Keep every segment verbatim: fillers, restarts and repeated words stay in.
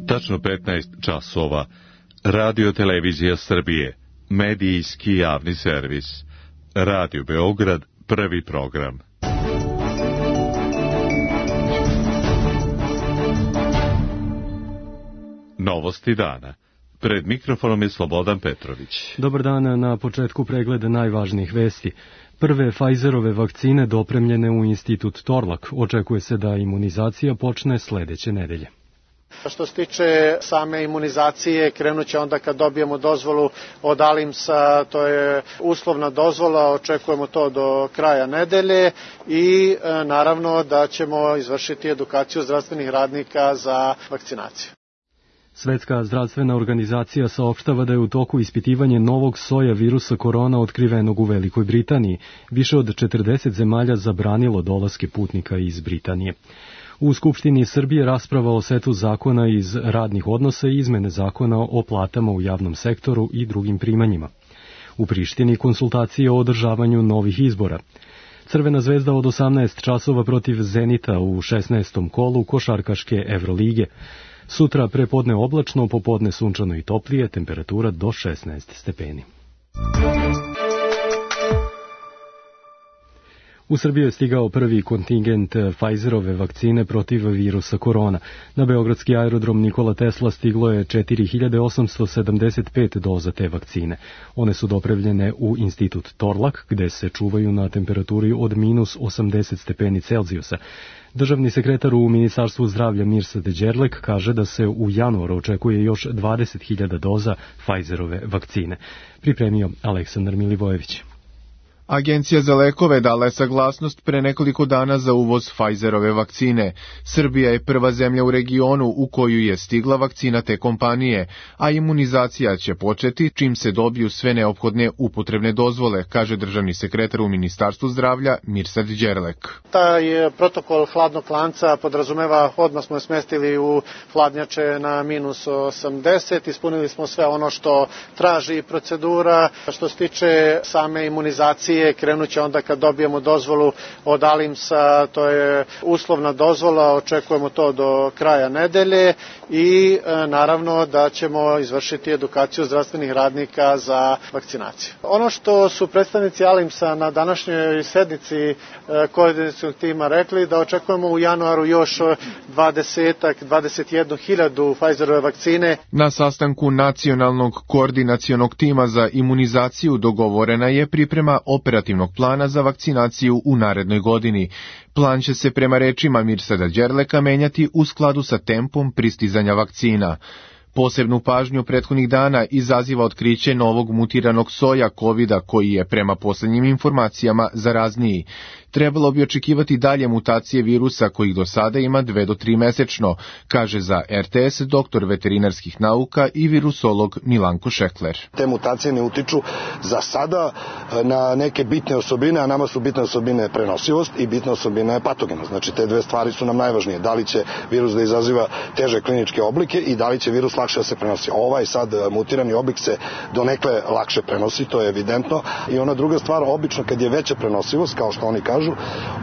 Tačno petnaest časova. Radio Televizija Srbije. Medijski javni servis. Radio Beograd, prvi program. Novosti dana. Pred mikrofonom je Slobodan Petrović. Dobar dan, na početku pregleda najvažnijih vesti. Prve Pfizerove vakcine dopremljene u institut Torlak. Očekuje se da imunizacija počne sledeće nedelje. Što se tiče same imunizacije, krenut će onda kad dobijemo dozvolu od Alimsa, to je uslovna dozvola, očekujemo to do kraja nedelje i e, naravno da ćemo izvršiti edukaciju zdravstvenih radnika za vakcinaciju. Svetska zdravstvena organizacija saopštava da je u toku ispitivanje novog soja virusa korona otkrivenog u Velikoj Britaniji. Više od četrdeset zemalja zabranilo dolaske putnika iz Britanije. U Skupštini Srbije rasprava o setu zakona iz radnih odnosa i izmene zakona o platama u javnom sektoru i drugim primanjima. U Prištini konsultacije o održavanju novih izbora. Crvena zvezda od osamnaest časova protiv Zenita u šesnaestom kolu košarkaške Evrolige. Sutra prepodne oblačno, popodne sunčano i toplije, temperatura do šesnaest stepeni. U Srbiju je stigao prvi kontingent Pfizerove vakcine protiv virusa korona. Na beogradski aerodrom Nikola Tesla stiglo je četiri hiljade osamsto sedamdeset pet doza te vakcine. One su dopremljene u institut Torlak, gde se čuvaju na temperaturi od minus osamdeset stepeni Celzijusa. Državni sekretar u Ministarstvu zdravlja Mirsad Đerlek kaže da se u januaru očekuje još dvadeset hiljada doza Pfizerove vakcine. Pripremio Aleksandar Milivojević. Agencija za lekove dala je saglasnost pre nekoliko dana za uvoz Pfizerove vakcine. Srbija je prva zemlja u regionu u koju je stigla vakcina te kompanije, a imunizacija će početi čim se dobiju sve neophodne upotrebne dozvole, kaže državni sekretar u Ministarstvu zdravlja Mirsad Đerlek. Taj protokol hladnog lanca podrazumeva, odmah smo je smestili u hladnjače na minus osamdeset, ispunili smo sve ono što traži procedura. Što se tiče same imunizacije, krenut će onda kad dobijemo dozvolu od Alimsa, to je uslovna dozvola, očekujemo to do kraja nedelje i e, naravno da ćemo izvršiti edukaciju zdravstvenih radnika za vakcinaciju. Ono što su predstavnici Alimsa na današnjoj sednici e, koordinacionog tima rekli, da očekujemo u januaru još dvadeset do dvadeset jedna hiljadu Pfizerove vakcine. Na sastanku Nacionalnog koordinacionog tima za imunizaciju dogovorena je priprema operativnog plana za vakcinaciju u narednoj godini. Plan će se prema rečima Mirsada Đerleka menjati u skladu sa tempom pristizanja vakcina. Posebnu pažnju prethodnih dana izaziva otkriće novog mutiranog soja kovida koji je prema poslednjim informacijama zarazniji. Trebalo bi očekivati dalje mutacije virusa kojih do sada ima dve do tri mesečno, kaže za er te es doktor veterinarskih nauka i virusolog Milanko Šekler. Te mutacije ne utiču za sada na neke bitne osobine, a nama su bitne osobine prenosivost i bitna osobina je patogenost. Znači te dve stvari su nam najvažnije. Da li će virus da izaziva teže kliničke oblike i da li će virus lakše da se prenosi. Ovaj sad mutirani oblik se donekle lakše prenosi, to je evidentno. I ona druga stvar, obično kad je veća prenosivost, kao što oni kažu,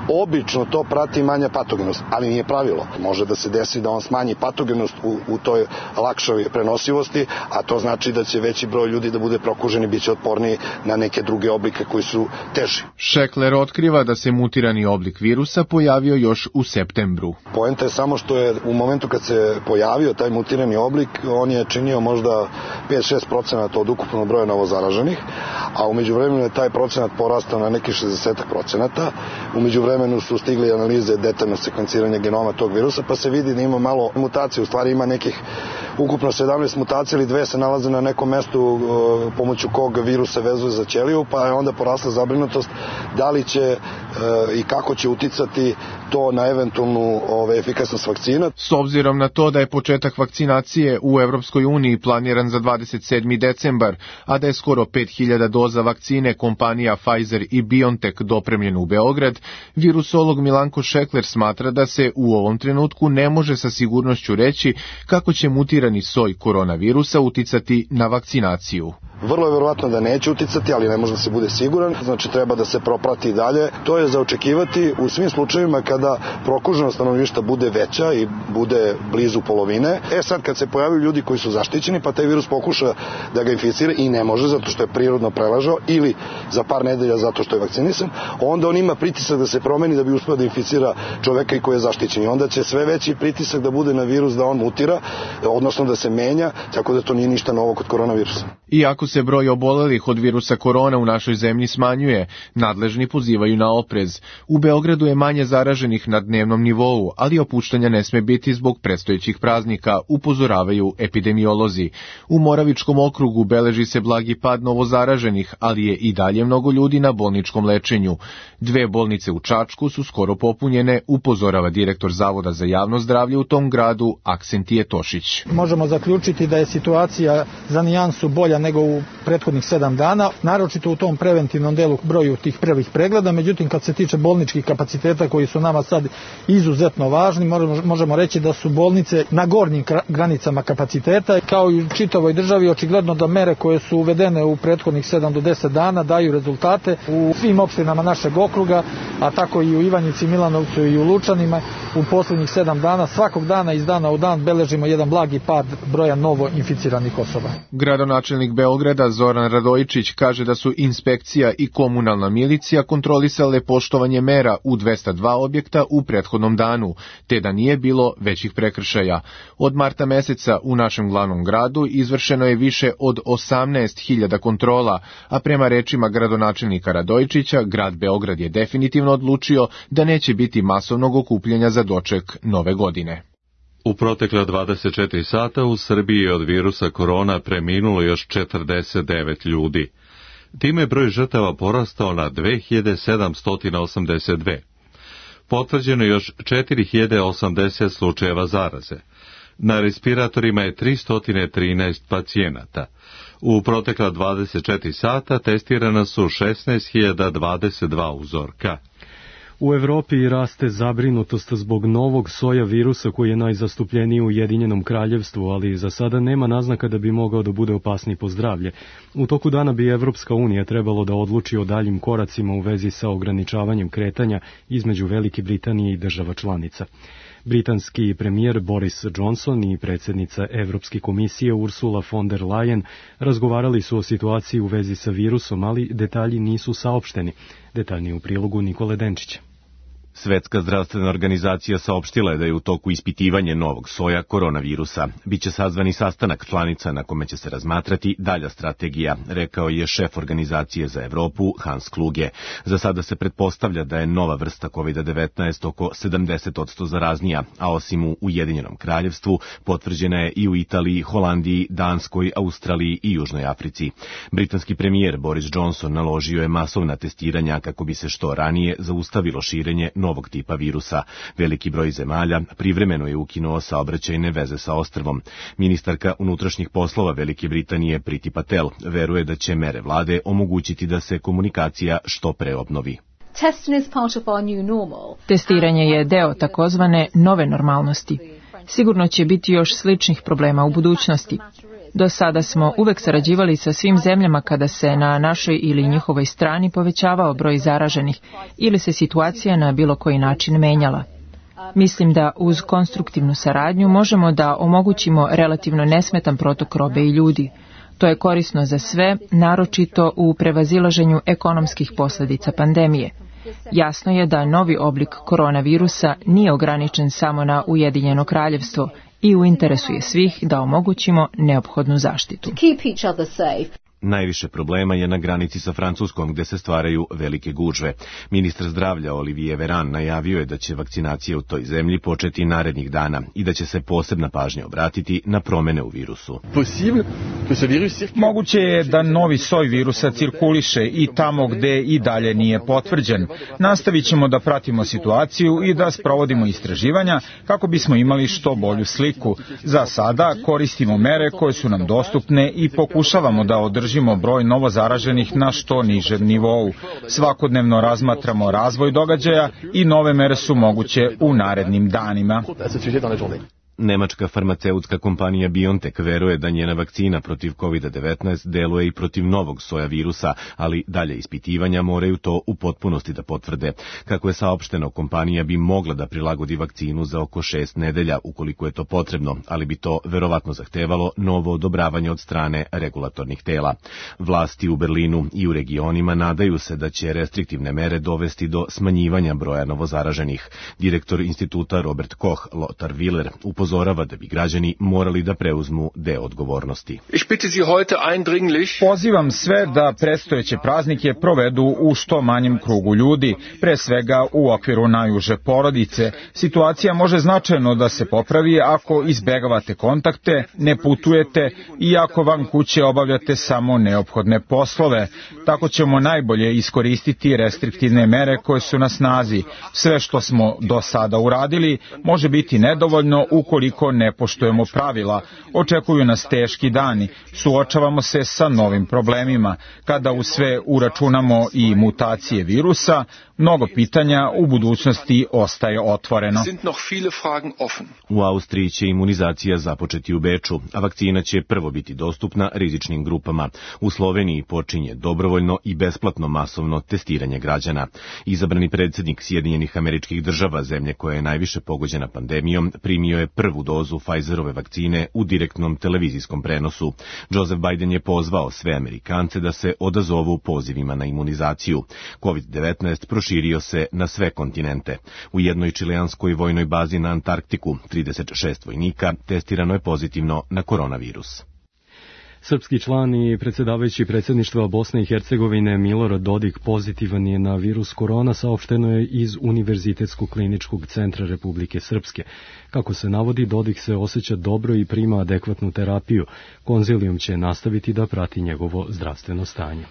obično to prati manja patogenost, ali nije pravilo. Može da se desi da on smanji patogenost u, u toj lakšoj prenosivosti, a to znači da će veći broj ljudi da bude prokuženi, bit će otporniji na neke druge oblike koji su teži. Šekler otkriva da se mutirani oblik virusa pojavio još u septembru. Poenta je samo što je u momentu kad se pojavio taj mutirani oblik, on je činio možda pet do šest procenata od ukupnog broja novozaraženih, a u međuvremenu je taj procenat porastao na neki šezdeset procenata. U međuvremenu su stigli analize detaljno sekvenciranja genoma tog virusa, pa se vidi da ima malo mutacije, u stvari ima nekih ukupno sedamnaest mutacija ili dve se nalaze na nekom mestu pomoću kog virus se vezuje za ćeliju, pa je onda porasla zabrinutost da li će i kako će uticati to na eventualnu ove, efikasnost vakcina. S obzirom na to da je početak vakcinacije u Evropskoj uniji planiran za dvadeset sedmi decembar, a da je skoro pet hiljada doza vakcine kompanija Pfizer i BioNTech dopremljena u Beograd, virusolog Milanko Šekler smatra da se u ovom trenutku ne može sa sigurnošću reći kako će mutirati modificirani soj koronavirusa uticati na vakcinaciju. Vrlo je verovatno da neće uticati, ali ne može da se bude siguran, znači treba da se proprati dalje. To je za očekivati u svim slučajevima kada prokuženost stanovništva bude veća i bude blizu polovine. E sad kad se pojavaju ljudi koji su zaštićeni, pa taj virus pokuša da ga inficira i ne može zato što je prirodno preležao ili za par nedelja zato što je vakcinisan, onda on ima pritisak da se promeni da bi uspeo da inficira čoveka i koji je zaštićen. I onda će sve veći pritisak da bude na virus da on mutira, odnosno da se menja, tako da to nije ništa novo kod koronavirusa. Iako se broj obolelih od virusa korona u našoj zemlji smanjuje, nadležni pozivaju na oprez. U Beogradu je manje zaraženih na dnevnom nivou, ali opuštanja ne sme biti zbog predstojećih praznika, upozoravaju epidemiolozi. U Moravičkom okrugu beleži se blagi pad novozaraženih, ali je i dalje mnogo ljudi na bolničkom lečenju. Dve bolnice u Čačku su skoro popunjene, upozorava direktor Zavoda za javno zdravlje u tom gradu, Aksentije Tošić. Možemo zaključiti da je situacija za nijansu bolja nego u prethodnih sedam dana, naročito u tom preventivnom delu broju tih prvih pregleda, međutim kad se tiče bolničkih kapaciteta koji su nama sad izuzetno važni, možemo, možemo reći da su bolnice na gornjim granicama kapaciteta, kao i u čitavoj državi očigledno da mere koje su uvedene u prethodnih sedam do deset dana daju rezultate u svim opštinama našeg okruga, a tako i u Ivanjici, Milanovcu i u Lučanima. U poslednjih sedam dana, svakog dana iz dana u dan beležimo jedan blagi pad broja novo inficiranih osoba. Gradonačelnik Beograda Zoran Radojičić kaže da su inspekcija i komunalna milicija kontrolisale poštovanje mera u dvesta dva objekta u prethodnom danu, te da nije bilo većih prekršaja. Od marta meseca u našem glavnom gradu izvršeno je više od osamnaest hiljada kontrola, a prema rečima gradonačelnika Radojičića, grad Beograd je definitivno odlučio da neće biti masovnog okupljanja za doček nove godine. U protekla dvadeset četiri sata u Srbiji je od virusa korona preminulo još četrdeset devet ljudi. Time je broj žrtava porastao na dve hiljade sedamsto osamdeset dve. Potvrđeno je još četiri hiljade osamdeset slučajeva zaraze. Na respiratorima je tristo trinaest pacijenata. U protekla dvadeset četiri sata testirana su šesnaest hiljada dvadeset dva uzorka. U Evropi raste zabrinutost zbog novog soja virusa koji je najzastupljeniji u Ujedinjenom kraljevstvu, ali za sada nema naznaka da bi mogao da bude opasniji po zdravlje. U toku dana bi Evropska unija trebalo da odluči o daljim koracima u vezi sa ograničavanjem kretanja između Velike Britanije i država članica. Britanski premijer Boris Johnson i predsjednica Evropske komisije Ursula von der Leyen razgovarali su o situaciji u vezi sa virusom, ali detalji nisu saopšteni. Detaljnije u prilogu Nikole Denčića. Svetska zdravstvena organizacija saopštila je da je u toku ispitivanje novog soja koronavirusa. Biće sazvani sastanak članica na kome će se razmatrati dalja strategija, rekao je šef organizacije za Evropu Hans Kluge. Za sada se pretpostavlja da je nova vrsta kovid devetnaest oko sedamdeset posto zaraznija, a osim u Ujedinjenom kraljevstvu potvrđena je i u Italiji, Holandiji, Danskoj, Australiji i Južnoj Africi. Britanski premijer Boris Johnson naložio je masovna testiranja kako bi se što ranije zaustavilo širenje novog tipa virusa. Veliki broj zemalja privremeno je ukinuo saobraćajne veze sa ostrvom. Ministarka unutrašnjih poslova Velike Britanije Priti Patel veruje da će mere vlade omogućiti da se komunikacija što pre obnovi. Testiranje je deo takozvane nove normalnosti. Sigurno će biti još sličnih problema u budućnosti. Do sada smo uvek sarađivali sa svim zemljama kada se na našoj ili njihovoj strani povećavao broj zaraženih ili se situacija na bilo koji način menjala. Mislim da uz konstruktivnu saradnju možemo da omogućimo relativno nesmetan protok robe i ljudi. To je korisno za sve, naročito u prevazilaženju ekonomskih posljedica pandemije. Jasno je da novi oblik koronavirusa nije ograničen samo na Ujedinjeno kraljevstvo i u interesu je svih da omogućimo neophodnu zaštitu. Najviše problema je na granici sa Francuskom gde se stvaraju velike gužve. Ministar zdravlja Olivier Véran najavio je da će vakcinacija u toj zemlji početi narednih dana i da će se posebna pažnja obratiti na promene u virusu. Moguće je da novi soj virusa cirkuliše i tamo gde i dalje nije potvrđen. Nastavit ćemo da pratimo situaciju i da sprovodimo istraživanja kako bismo imali što bolju sliku. Za sada koristimo mere koje su nam dostupne i pokušavamo da održimo broj novo zaraženih na što nižem nivou. Svakodnevno razmatramo razvoj događaja i nove mere su moguće u narednim danima. Nemačka farmaceutska kompanija BioNTech veruje da njena vakcina protiv kovid devetnaest deluje i protiv novog soja virusa, ali dalje ispitivanja moraju to u potpunosti da potvrde. Kako je saopšteno, kompanija bi mogla da prilagodi vakcinu za oko šest nedelja, ukoliko je to potrebno, ali bi to verovatno zahtevalo novo odobravanje od strane regulatornih tela. Vlasti u Berlinu i u regionima nadaju se da će restriktivne mere dovesti do smanjivanja broja novozaraženih. Direktor instituta Robert Koch, Lothar Wieler, upozorava da bi građani morali da preuzmu deo odgovornosti. Pozivam sve da predstojeće praznike provedu u što manjem krugu ljudi, pre svega u okviru najuže porodice. Situacija može značajno da se popravi ako izbegavate kontakte, ne putujete i ako van kuće obavljate samo neophodne poslove. Tako ćemo najbolje iskoristiti restriktivne mere koje su na snazi. Sve što smo do sada uradili može biti nedovoljno ukoliko ne poštujemo pravila. Očekuju nas teški dani. Suočavamo se sa novim problemima. Kada u sve uračunamo i mutacije virusa, mnogo pitanja u budućnosti ostaje otvoreno. U Austriji će imunizacija započeti u Beču, a vakcina će prvo biti dostupna rizičnim grupama. U Sloveniji počinje dobrovoljno i besplatno masovno testiranje građana. Izabrani predsjednik Sjedinjenih Američkih Država, zemlje koja je najviše pogođena pandemijom, primio je prvu dozu Pfizerove vakcine u direktnom televizijskom prenosu. Joseph Biden je pozvao sve Amerikance da se odazovu pozivima na imunizaciju. kovid devetnaest proširio se na sve kontinente. U jednoj čileanskoj vojnoj bazi na Antarktiku trideset šest vojnika testirano je pozitivno na koronavirus. Srpski član i predsjedavajući predsjedništva Bosne i Hercegovine Milorad Dodik pozitivan je na virus korona, saopšteno je iz Univerzitetskog kliničkog centra Republike Srpske. Kako se navodi, Dodik se osjeća dobro i prima adekvatnu terapiju. Konzilijum će nastaviti da prati njegovo zdravstveno stanje.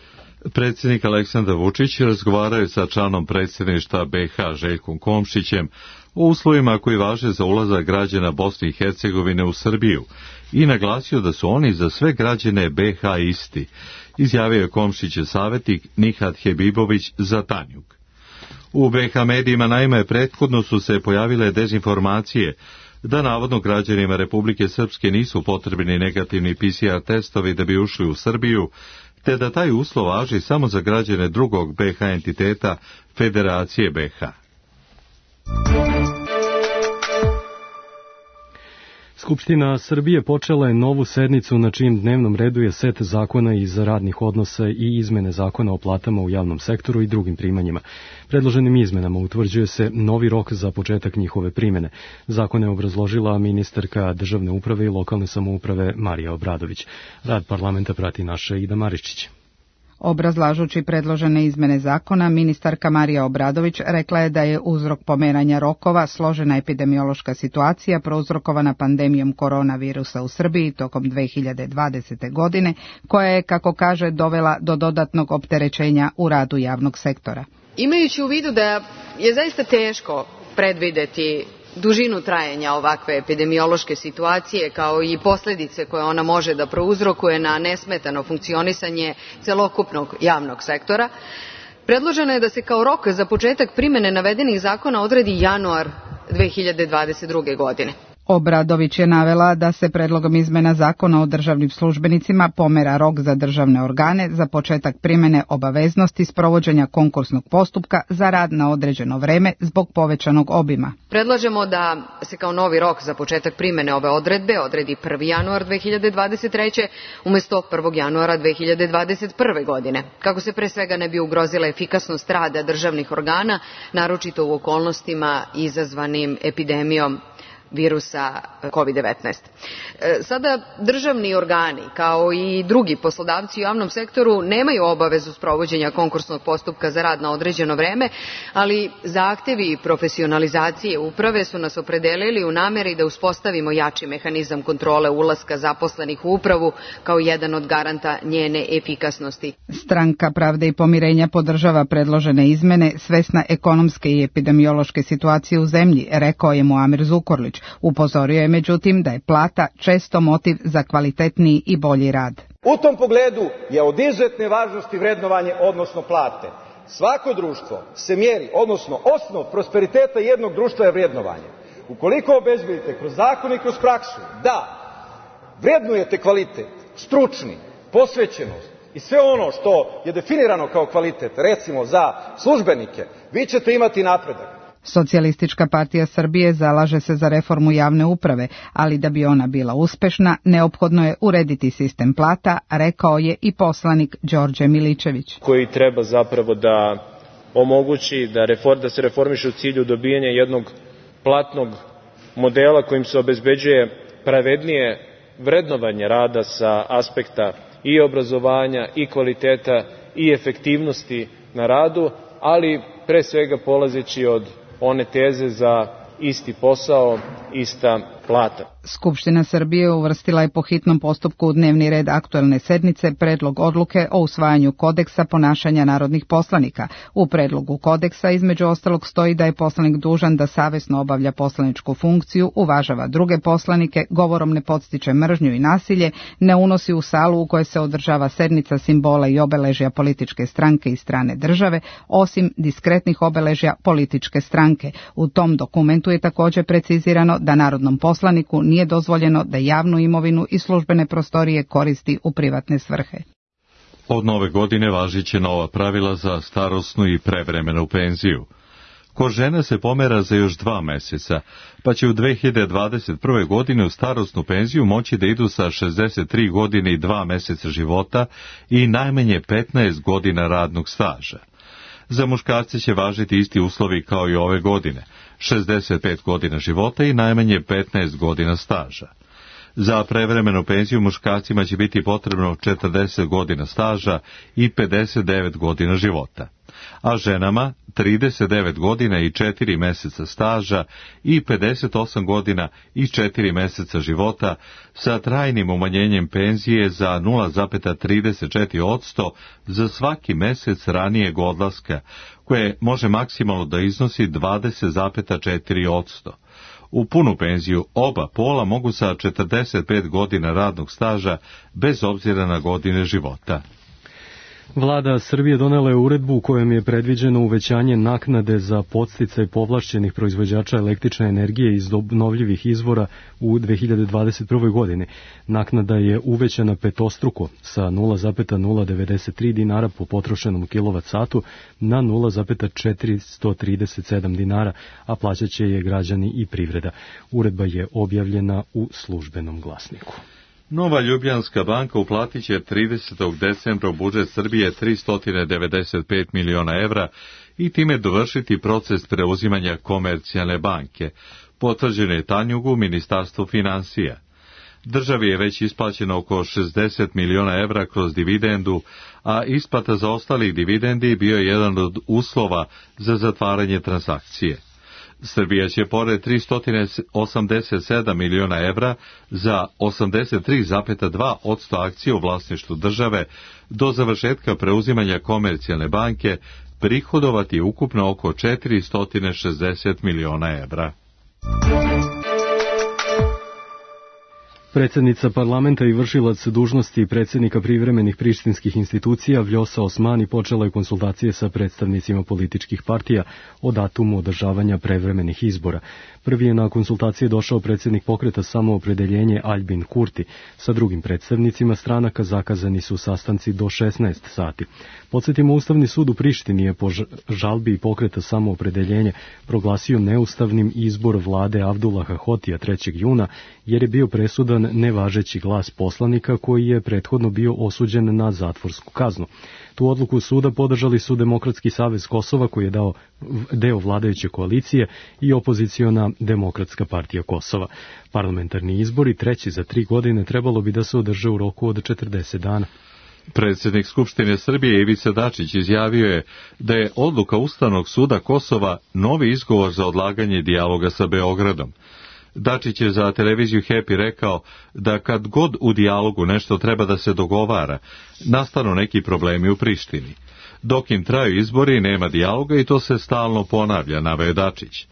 Predsjednik Aleksandar Vučić razgovaraju sa članom predsjedništva B H Željkom Komšićem o uslovima koji važe za ulazak građana Bosne i Hercegovine u Srbiju i naglasio da su oni za sve građane B H isti, izjavio je Komšićev savjetnik Nihat Hebibović za Tanjug. U B H medijima naime prethodno su se pojavile dezinformacije da navodno građanima Republike Srpske nisu potrebni negativni P C R testovi da bi ušli u Srbiju, te da taj uslov važi samo za građane drugog B H entiteta Federacije B H. Skupština Srbije počela je novu sednicu na čijem dnevnom redu je set zakona iz radnih odnosa i izmene zakona o platama u javnom sektoru i drugim primanjima. Predloženim izmenama utvrđuje se novi rok za početak njihove primjene. Zakon je obrazložila ministarka državne uprave i lokalne samouprave Marija Obradović. Rad parlamenta prati naša Ida Maričić. Obrazlažući predložene izmene zakona, ministarka Marija Obradović rekla je da je uzrok pomeranja rokova složena epidemiološka situacija prouzrokovana pandemijom koronavirusa u Srbiji tokom dve hiljade dvadesete. godine, koja je, kako kaže, dovela do dodatnog opterećenja u radu javnog sektora. Imajući u vidu da je zaista teško predvideti dužinu trajanja ovakve epidemiološke situacije kao i posljedice koje ona može da prouzrokuje na nesmetano funkcionisanje celokupnog javnog sektora, predloženo je da se kao rok za početak primjene navedenih zakona odredi januar dve hiljade dvadeset druge. godine. Obradović je navela da se predlogom izmena zakona o državnim službenicima pomera rok za državne organe za početak primjene obaveznosti sprovođenja konkursnog postupka za rad na određeno vreme zbog povećanog obima. Predlažemo da se kao novi rok za početak primjene ove odredbe odredi prvi januar dve hiljade dvadeset treće. umjesto prvog januara dve hiljade dvadeset prve. godine, kako se pre svega ne bi ugrozila efikasnost rada državnih organa, naročito u okolnostima izazvanim epidemijom virusa kovid devetnaest. Sada državni organi, kao i drugi poslodavci u javnom sektoru, nemaju obavezu sprovođenja konkursnog postupka za rad na određeno vreme, ali zahtevi profesionalizacije uprave su nas opredelili u nameri da uspostavimo jači mehanizam kontrole ulaska zaposlenih u upravu kao jedan od garanta njene efikasnosti. Stranka Pravde i pomirenja podržava predložene izmene svesna ekonomske i epidemiološke situacije u zemlji, rekao je Muamer Zukorlić. Upozorio je međutim da je plata često motiv za kvalitetniji i bolji rad. U tom pogledu je od izuzetne važnosti vrednovanje, odnosno plate. Svako društvo se mjeri, odnosno osnov prosperiteta jednog društva je vrednovanje. Ukoliko obezbedite kroz zakon i kroz praksu da vrednujete kvalitet, stručni, posvećenost i sve ono što je definirano kao kvalitet, recimo za službenike, vi ćete imati napredak. Socijalistička partija Srbije zalaže se za reformu javne uprave, ali da bi ona bila uspešna, neophodno je urediti sistem plata, rekao je i poslanik Đorđe Miličević. Koji treba zapravo da omogući da, refor, da se reformiše u cilju dobijanja jednog platnog modela kojim se obezbeđuje pravednije vrednovanje rada sa aspekta i obrazovanja, i kvaliteta, i efektivnosti na radu, ali pre svega polazeći od one teze za isti posao, ista plata. Skupština Srbije uvrstila je po hitnom postupku u dnevni red aktuelne sednice predlog odluke o usvajanju kodeksa ponašanja narodnih poslanika. U predlogu kodeksa između ostalog stoji da je poslanik dužan da savesno obavlja poslaničku funkciju, uvažava druge poslanike, govorom ne podstiče mržnju i nasilje, ne unosi u salu u kojoj se održava sednica simbola i obeležja političke stranke i strane države, osim diskretnih obeležja političke stranke. U tom dokumentu je također precizirano da narodnom poslaniku nije dozvoljeno da javnu imovinu i službene prostorije koristi u privatne svrhe. Od nove godine važiće nova pravila za starosnu i prevremenu penziju. Kod žena se pomera za još dva meseca, pa će u dve hiljade dvadeset prve. godine u starosnu penziju moći da idu sa šezdeset tri godine i dva meseca života i najmanje petnaest godina radnog staža. Za muškarce će važiti isti uslovi kao i ove godine, šezdeset pet godina života i najmanje petnaest godina staža. Za prevremenu penziju muškarcima će biti potrebno četrdeset godina staža i pedeset devet godina života, a ženama trideset devet godina i četiri meseca staža i pedeset osam godina i četiri meseca života sa trajnim umanjenjem penzije za nula zarez trideset četiri posto za svaki mesec ranijeg odlaska, koje može maksimalno da iznosi dvadeset zarez četiri posto. U punu penziju oba pola mogu sa četrdeset pet godina radnog staža bez obzira na godine života. Vlada Srbije donela je uredbu u kojom je predviđeno uvećanje naknade za podsticaj povlašćenih proizvođača električne energije iz obnovljivih izvora u dve hiljade dvadeset prve. godini. Naknada je uvećana petostruko sa nula zarez nula devedeset tri dinara po potrošenom kilovat satu na nula zarez četiristo trideset sedam dinara, a plaćaće je građani i privreda. Uredba je objavljena u Službenom glasniku. Nova Ljubljanska banka uplatit će tridesetog decembra u budžet Srbije tristo devedeset pet miliona evra i time dovršiti proces preuzimanja Komercijalne banke, potvrđeno je Tanjugu u Ministarstvu finansija. Državi je već isplaćeno oko šezdeset miliona evra kroz dividendu, a isplata za ostalih dividendi bio je jedan od uslova za zatvaranje transakcije. Srbija će pored tristo osamdeset sedam miliona evra za osamdeset tri zarez dva posto akcije u vlasništvu države do završetka preuzimanja Komercijalne banke prihodovati ukupno oko četiristo šezdeset miliona evra. Predsjednica parlamenta i vršilac dužnosti predsjednika privremenih prištinskih institucija Vljosa Osmani počela je konsultacije sa predstavnicima političkih partija o datumu održavanja prevremenih izbora. Prvi je na konsultacije došao predsjednik pokreta Samoopredeljenje Aljbin Kurti. Sa drugim predstavnicima stranaka zakazani su sastanci do šesnaest sati. Podsjetimo, Ustavni sud u Prištini je po žalbi pokreta Samoopredeljenje proglasio neustavnim izbor vlade Avdullaha Hotija trećeg juna, jer je bio presudan nevažeći glas poslanika koji je prethodno bio osuđen na zatvorsku kaznu. Tu odluku suda podržali su Demokratski savez Kosova, koji je dao deo vladajuće koalicije, i opoziciona Demokratska partija Kosova. Parlamentarni izbori, treći za tri godine, trebalo bi da se održe u roku od četrdeset dana. Predsjednik Skupštine Srbije Ivica Dačić izjavio je da je odluka Ustavnog suda Kosova novi izgovor za odlaganje dijaloga sa Beogradom. Dačić je za televiziju Happy rekao da kad god u dijalogu nešto treba da se dogovara, nastanu neki problemi u Prištini. Dok im traju izbori, nema dijaloga i to se stalno ponavlja, naveo Dačić.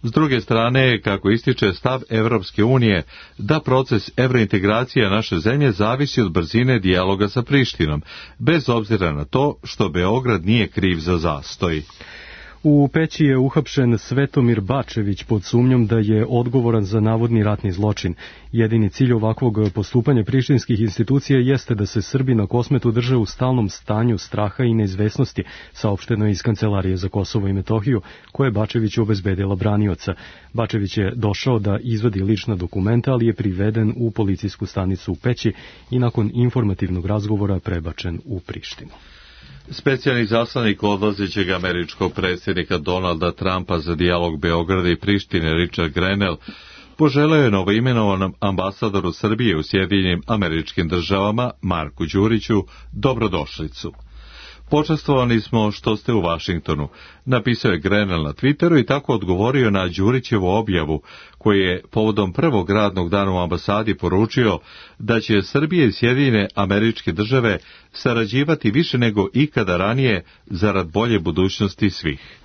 S druge strane, kako ističe stav Evropske unije, da proces evrointegracija naše zemlje zavisi od brzine dijaloga sa Prištinom, bez obzira na to što Beograd nije kriv za zastoj. U Peći je uhapšen Svetomir Bačević pod sumnjom da je odgovoran za navodni ratni zločin. Jedini cilj ovakvog postupanja prištinskih institucija jeste da se Srbi na Kosmetu drže u stalnom stanju straha i neizvesnosti, saopšteno je iz Kancelarije za Kosovo i Metohiju, koje je Bačeviću obezbedila branioca. Bačević je došao da izvadi lična dokumenta, ali je priveden u policijsku stanicu u Peći i nakon informativnog razgovora prebačen u Prištinu. Specijalni zaslanik odlazećeg američkog predsjednika Donalda Trumpa za dijalog Beograda i Prištine Richard Grenell poželeo je novoimenovanom ambasadoru Srbije u Sjedinjenim Američkim Državama Marku Đuriću dobrodošlicu. Počastvovani smo što ste u Vašingtonu, napisao je Grenell na Twitteru i tako odgovorio na Đurićevu objavu, koji je povodom prvog radnog dana u ambasadi poručio da će Srbije i Sjedinjene Američke Države sarađivati više nego ikada ranije zarad bolje budućnosti svih.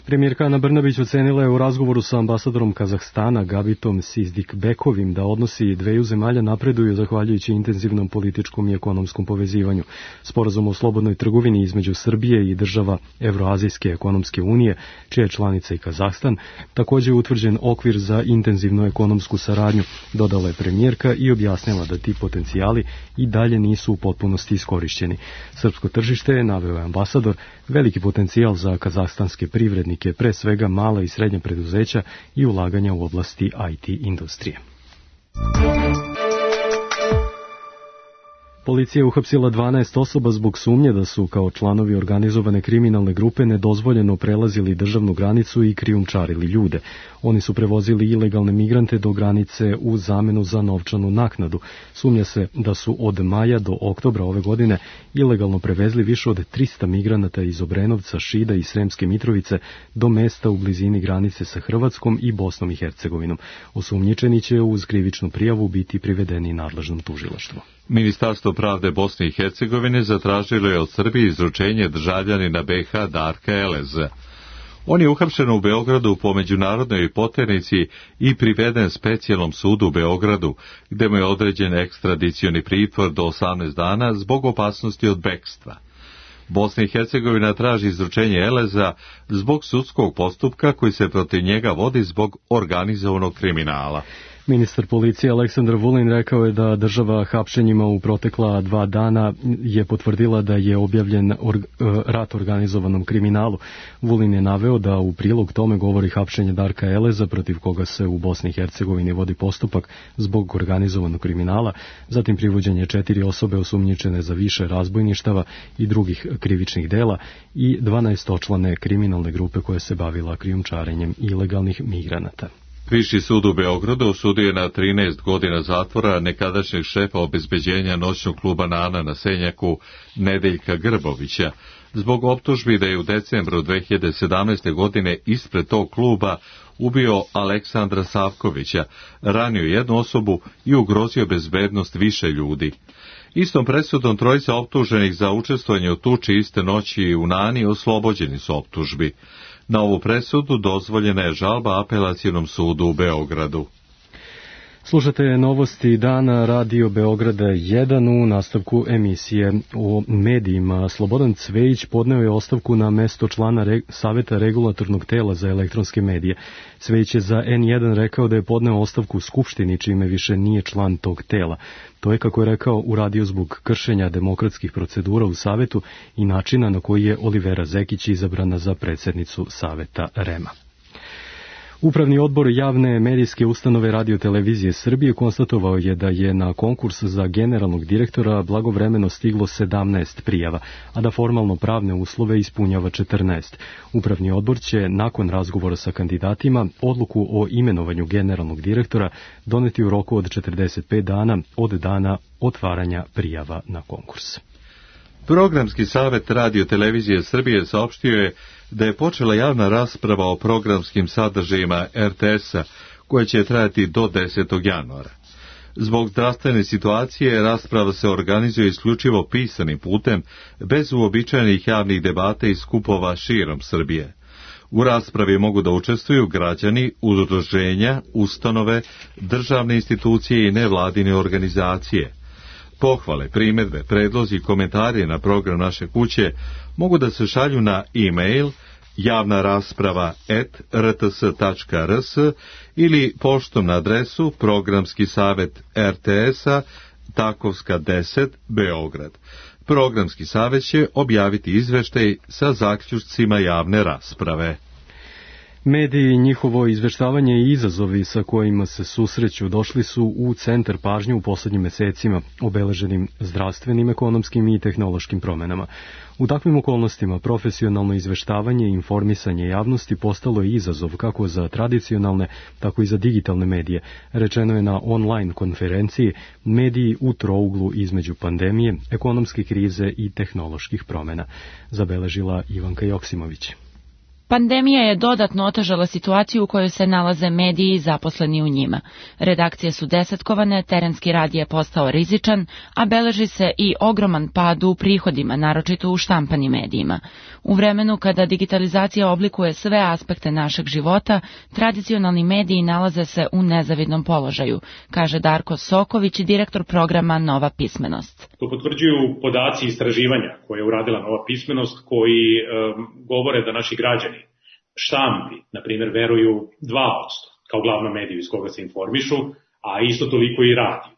Premijerka Ana Brnabić ocenila je u razgovoru sa ambasadorom Kazahstana Gabitom Sizdikbekovim da odnosi dveju zemalja napreduju zahvaljujući intenzivnom političkom i ekonomskom povezivanju. Sporazum o slobodnoj trgovini između Srbije i država Evroazijske ekonomske unije, čija je članica i Kazahstan, također je utvrđen okvir za intenzivnu ekonomsku saradnju, dodala je premijerka i objasnila da ti potencijali i dalje nisu u potpunosti iskorišćeni. Srpsko tržište je, naveo je ambasador, veliki potencijal za kazahstanske privrednike, pre svega mala i srednja preduzeća i ulaganja u oblasti I T industrije. Policija je uhapsila dvanaest osoba zbog sumnje da su kao članovi organizovane kriminalne grupe nedozvoljeno prelazili državnu granicu i krijumčarili ljude. Oni su prevozili ilegalne migrante do granice u zamenu za novčanu naknadu. Sumnja se da su od maja do oktobra ove godine ilegalno prevezli više od trista migranata iz Obrenovca, Šida i Sremske Mitrovice do mesta u blizini granice sa Hrvatskom i Bosnom i Hercegovinom. Osumnjičeni će uz krivičnu prijavu biti privedeni nadležnom tužilaštvu. Ministarstvo pravde Bosne i Hercegovine zatražilo je od Srbije izručenje državljanina B H Darka Eleza. On je uhapšen u Beogradu po međunarodnoj poternici i priveden specijalnom sudu u Beogradu, gde mu je određen ekstradicioni pritvor do osamnaest dana zbog opasnosti od bekstva. Bosna i Hercegovina traži izručenje Eleza zbog sudskog postupka koji se protiv njega vodi zbog organizovanog kriminala. Ministar policije Aleksandar Vulin rekao je da država hapšenjima u protekla dva dana je potvrdila da je objavljen org, rat organizovanom kriminalu. Vulin je naveo da u prilog tome govori hapšenje Darka Eleza, protiv koga se u Bosni i Hercegovini vodi postupak zbog organizovanog kriminala, zatim privođenje četiri osobe osumnjičene za više razbojništava i drugih krivičnih dela i dvanaestočlane kriminalne grupe koja se bavila krijumčarenjem ilegalnih migranata. Viši sud u Beogradu osudio je na trinaest godina zatvora nekadašnjeg šefa obezbeđenja noćnog kluba Nana na Senjaku Nedeljka Grbovića zbog optužbi da je u decembru dve hiljade sedamnaeste. godine ispred tog kluba ubio Aleksandra Savkovića, ranio jednu osobu i ugrozio bezbednost više ljudi. Istom presudom trojica optuženih za učestvovanje u tuči iste noći u Nani oslobođeni su optužbi. Na ovu presudu dozvoljena je žalba Apelacionom sudu u Beogradu. Slušate novosti dana Radio Beograda jedan u nastavku emisije o medijima. Slobodan Cvejić podneo je ostavku na mesto člana re, Saveta regulatornog tela za elektronske medije. Cvejić je za N jedan rekao da je podneo ostavku u Skupštini, čime više nije član tog tela. To je, kako je rekao, uradio zbog kršenja demokratskih procedura u Savetu i načina na koji je Olivera Zekić izabrana za predsjednicu Saveta R E M-a. Upravni odbor javne medijske ustanove Radio-televizije Srbije konstatovao je da je na konkurs za generalnog direktora blagovremeno stiglo sedamnaest prijava, a da formalno pravne uslove ispunjava četrnaest. Upravni odbor će nakon razgovora sa kandidatima odluku o imenovanju generalnog direktora doneti u roku od četrdeset pet dana od dana otvaranja prijava na konkurs. Programski savet Radio-televizije Srbije saopštio je da je počela javna rasprava o programskim sadržajima R T S-a, koja će trajati do desetog januara. Zbog zdravstvene situacije rasprava se organizuje isključivo pisanim putem, bez uobičajenih javnih debata i skupova širom Srbije. U raspravi mogu da učestvuju građani, udruženja, ustanove, državne institucije i nevladine organizacije. Pohvale, primedbe, predlozi i komentari na program naše kuće mogu da se šalju na e-mail javna rasprava et r t s tačka r s ili poštom na adresu Programski savet R T S-a Takovska deset, Beograd. Programski savet će objaviti izveštaj sa zaključcima javne rasprave. Mediji i njihovo izveštavanje i izazovi sa kojima se susreću došli su u centar pažnje u poslednjim mesecima, obeleženim zdravstvenim, ekonomskim i tehnološkim promenama. U takvim okolnostima profesionalno izveštavanje i informisanje javnosti postalo je izazov kako za tradicionalne, tako i za digitalne medije. Rečeno je na online konferenciji Mediji u trouglu između pandemije, ekonomske krize i tehnoloških promena, zabeležila Ivanka Joksimović. Pandemija je dodatno otežala situaciju u kojoj se nalaze mediji i zaposleni u njima. Redakcije su desetkovane, terenski rad je postao rizičan, a beleži se i ogroman pad u prihodima, naročito u štampanim medijima. U vremenu kada digitalizacija oblikuje sve aspekte našeg života, tradicionalni mediji nalaze se u nezavidnom položaju, kaže Darko Soković, direktor programa Nova pismenost. To potvrđuju podaci istraživanja koje je uradila Nova pismenost, koji e, govore da naši građani štampi, na primjer, veruju dva posto kao glavnom mediju iz koga se informišu, a isto toliko i radiju.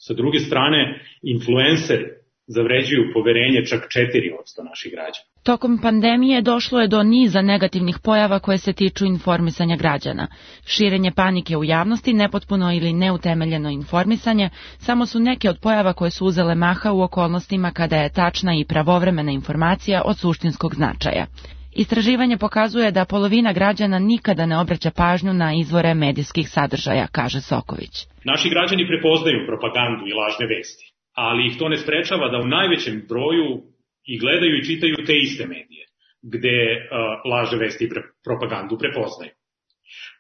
Sa druge strane, influenceri zavređuju poverenje čak četiri posto naših građana. Tokom pandemije došlo je do niza negativnih pojava koje se tiču informisanja građana. Širenje panike u javnosti, nepotpuno ili neutemeljeno informisanje, samo su neke od pojava koje su uzele maha u okolnostima kada je tačna i pravovremena informacija od suštinskog značaja. Istraživanje pokazuje da polovina građana nikada ne obraća pažnju na izvore medijskih sadržaja, kaže Soković. Naši građani prepoznaju propagandu i lažne vesti, ali ih to ne sprečava da u najvećem broju i gledaju i čitaju te iste medije, gde uh, lažne vesti i pre, propagandu prepoznaju.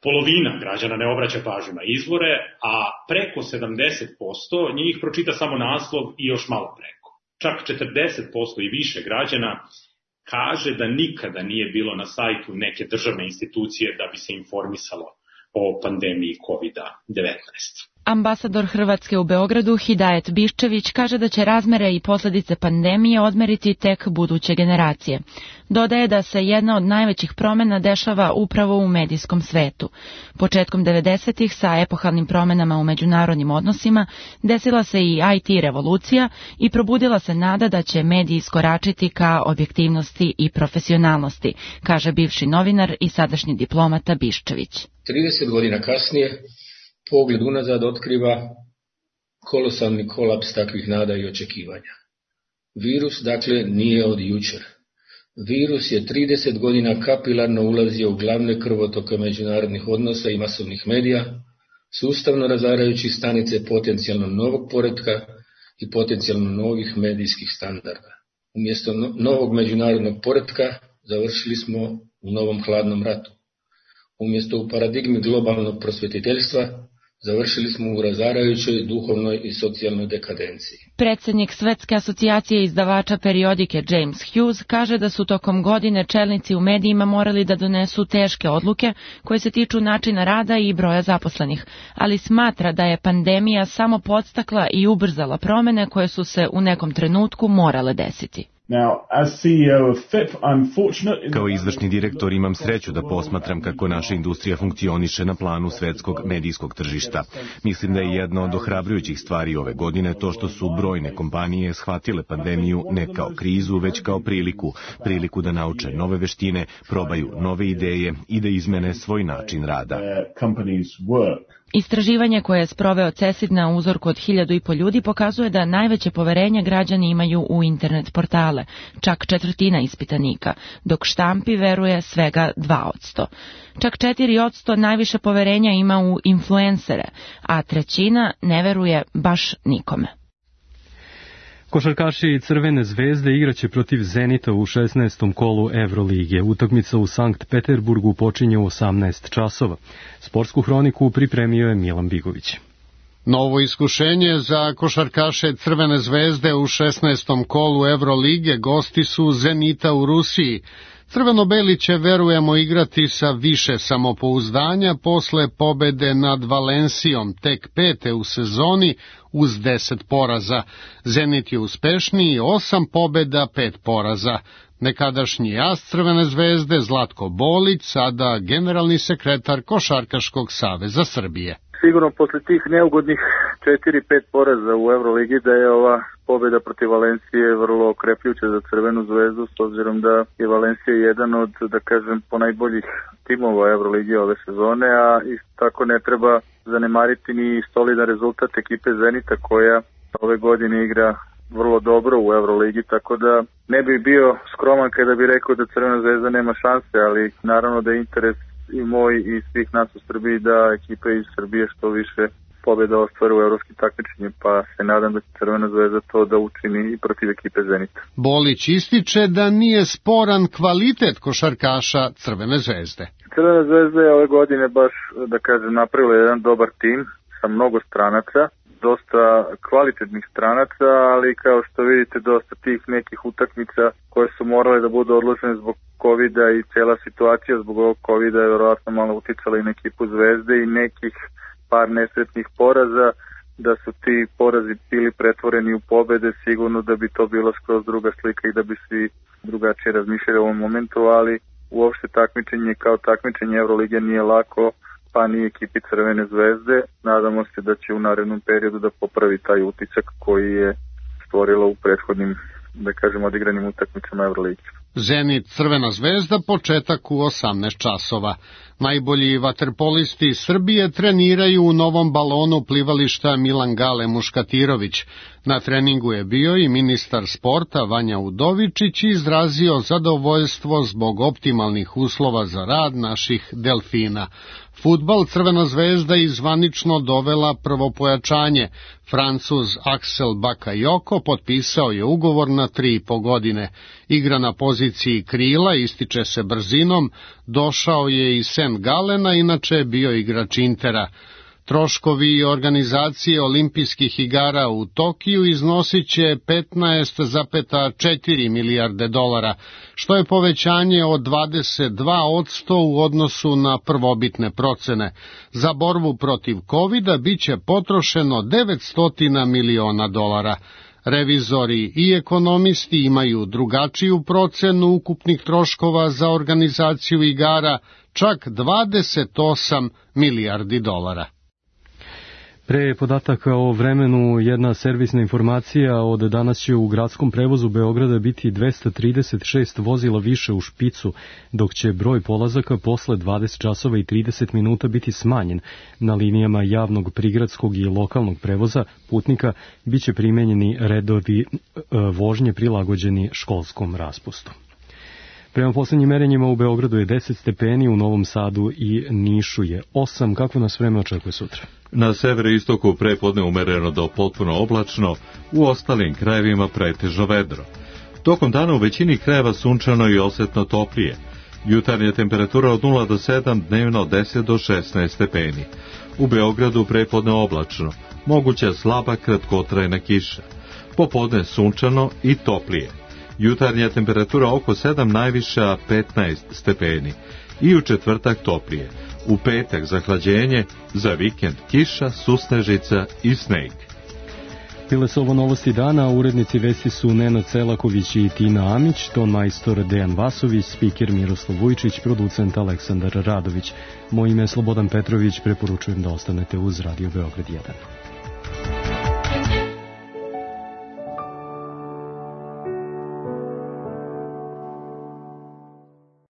Polovina građana ne obraća pažnju na izvore, a preko sedamdeset posto njih pročita samo naslov i još malo preko. Čak četrdeset posto i više građana kaže da nikada nije bilo na sajtu neke državne institucije da bi se informisalo o pandemiji kovid devetnaest. Ambasador Hrvatske u Beogradu Hidajet Biščević kaže da će razmere i posljedice pandemije odmeriti tek buduće generacije. Dodaje da se jedna od najvećih promjena dešava upravo u medijskom svetu. Početkom devedesetih sa epohalnim promjenama u međunarodnim odnosima desila se i I T revolucija i probudila se nada da će mediji iskoračiti ka objektivnosti i profesionalnosti, kaže bivši novinar i sadašnji diplomata Biščević. trideset godina kasnije pogled unazad otkriva kolosalni kolaps takvih nada i očekivanja. Virus, dakle, nije od jučer. Virus je trideset godina kapilarno ulazio u glavne krvotoke međunarodnih odnosa i masovnih medija, sustavno razarajući stanice potencijalno novog poretka i potencijalno novih medijskih standarda. Umjesto novog međunarodnog poretka završili smo u novom hladnom ratu. Umjesto u paradigmi globalnog prosvjetiteljstva, završili smo u razarajućoj duhovnoj i socijalnoj dekadenciji. Predsjednik Svetske asocijacije izdavača periodike James Hughes kaže da su tokom godine čelnici u medijima morali da donesu teške odluke koje se tiču načina rada i broja zaposlenih, ali smatra da je pandemija samo podstakla i ubrzala promjene koje su se u nekom trenutku morale desiti. Kao izvršni direktor imam sreću da posmatram kako naša industrija funkcioniše na planu svetskog medijskog tržišta. Mislim da je jedna od ohrabrujućih stvari ove godine to što su brojne kompanije shvatile pandemiju ne kao krizu, već kao priliku, priliku da nauče nove veštine, probaju nove ideje i da izmene svoj način rada. Istraživanje koje je sproveo CESID na uzorku od hiljadu i po ljudi pokazuje da najveće poverenje građani imaju u internet portale, čak četvrtina ispitanika, dok štampi veruje svega dva posto. Čak četiri posto najviše poverenja ima u influencere, a trećina ne veruje baš nikome. Košarkaši Crvene zvezde igraće protiv Zenita u šesnaestom kolu Evrolige. Utakmica u Sankt Peterburgu počinje u osamnaest časova. Sportsku hroniku pripremio je Milan Bigović. Novo iskušenje za košarkaše Crvene zvezde u šesnaestom kolu Evrolige, gosti su Zenita u Rusiji. Crveno-beli će, verujemo, igrati sa više samopouzdanja posle pobede nad Valencijom, tek pete u sezoni uz deset poraza. Zenit je uspešniji, osam pobeda, pet poraza. Nekadašnji as Crvene zvezde Zlatko Bolić, sada generalni sekretar Košarkaškog saveza Srbije. Sigurno posle tih neugodnih četiri pet poraza u Euroligi da je ova pobeda protiv Valencije vrlo okrepljuća za Crvenu zvezdu, s obzirom da je Valencija jedan od, da kažem, ponajboljih timova Euroligi ove sezone, a isto tako ne treba zanemariti ni solidan rezultat ekipe Zenita koja ove godine igra vrlo dobro u Euroligi, tako da ne bi bio skroman kada bi rekao da Crvena zvezda nema šanse, ali naravno da je interes i moj i svih nas u Srbiji da ekipe iz Srbije što više pobjeda ostvare u evropskim takmičenjima, pa se nadam da će Crvena zvezda to da učini i protiv ekipe Zenita. Bolić ističe da nije sporan kvalitet košarkaša Crvene zvezde. Crvena zvezda je ove godine baš, da kažem, napravila jedan dobar tim sa mnogo stranaca, dosta kvalitetnih stranaca, ali kao što vidite dosta tih nekih utakmica koje su morale da budu odložene zbog kovida i cijela situacija zbog ovog kovida je vjerovatno malo uticala i na ekipu Zvezde i nekih par nesretnih poraza, da su ti porazi bili pretvoreni u pobede, sigurno da bi to bilo skroz druga slika i da bi svi drugačije razmišljali u ovom momentu, ali uopšte takmičenje kao takmičenje Evrolige nije lako, pa ni ekipi Crvene zvezde. Nadamo se da će u narednom periodu da popravi taj utisak koji je stvorila u prethodnim, da kažem, odigranim utakmicama Euroligi. Zenit Crvena zvezda, početak u osamnaest časova. Najbolji vaterpolisti Srbije treniraju u novom balonu plivališta Milan Gale Muškatirović. Na treningu je bio i ministar sporta Vanja Udovičić i izrazio zadovoljstvo zbog optimalnih uslova za rad naših delfina. Fudbal Crvena zvezda je zvanično dovela prvo pojačanje. Francuz Axel Bakayoko potpisao je ugovor na tri i po godine. Igra na poziciji krila, ističe se brzinom, došao je iz Saint Galena, inače je bio igrač Intera. Troškovi organizacije olimpijskih igara u Tokiju iznosit će petnaest zarez četiri milijarde dolara, što je povećanje od dvadeset dva posto u odnosu na prvobitne procene. Za borbu protiv kovida bit će potrošeno devetsto miliona dolara. Revizori i ekonomisti imaju drugačiju procenu ukupnih troškova za organizaciju igara, čak dvadeset osam milijardi dolara. Pre podataka o vremenu, jedna servisna informacija: od danas će u gradskom prevozu Beograda biti dvesta trideset šest vozila više u špicu, dok će broj polazaka posle dvadeset časova i trideset minuta biti smanjen. Na linijama javnog prigradskog i lokalnog prevoza putnika biće primenjeni redovi vožnje prilagođeni školskom raspustu. Prema poslednjim merenjima u Beogradu je deset stepeni, u Novom Sadu i Nišu je osam. Kako nas vreme očekuje sutra? Na severoistoku prepodne umereno do potpuno oblačno, u ostalim krajevima pretežno vedro. Tokom dana u većini krajeva sunčano i osetno toplije. Jutarnja temperatura od nula do sedam, dnevno od deset do šesnaest stepeni. U Beogradu prepodne oblačno, moguća slaba kratkotrajna kiša. Popodne sunčano i toplije. Jutarnja temperatura oko sedam, najviša petnaest stepeni. I u četvrtak toplije. U petak zahlađenje, za vikend kiša, susnežica i sneg. Bile su ovo novosti dana, urednici vesti su Nenad Celaković i Tina Amić, ton majstor Dejan Vasović, spiker Miroslav Vujčić, producent Aleksandar Radović. Moje ime je Slobodan Petrović, preporučujem da ostanete uz Radio Beograd jedan.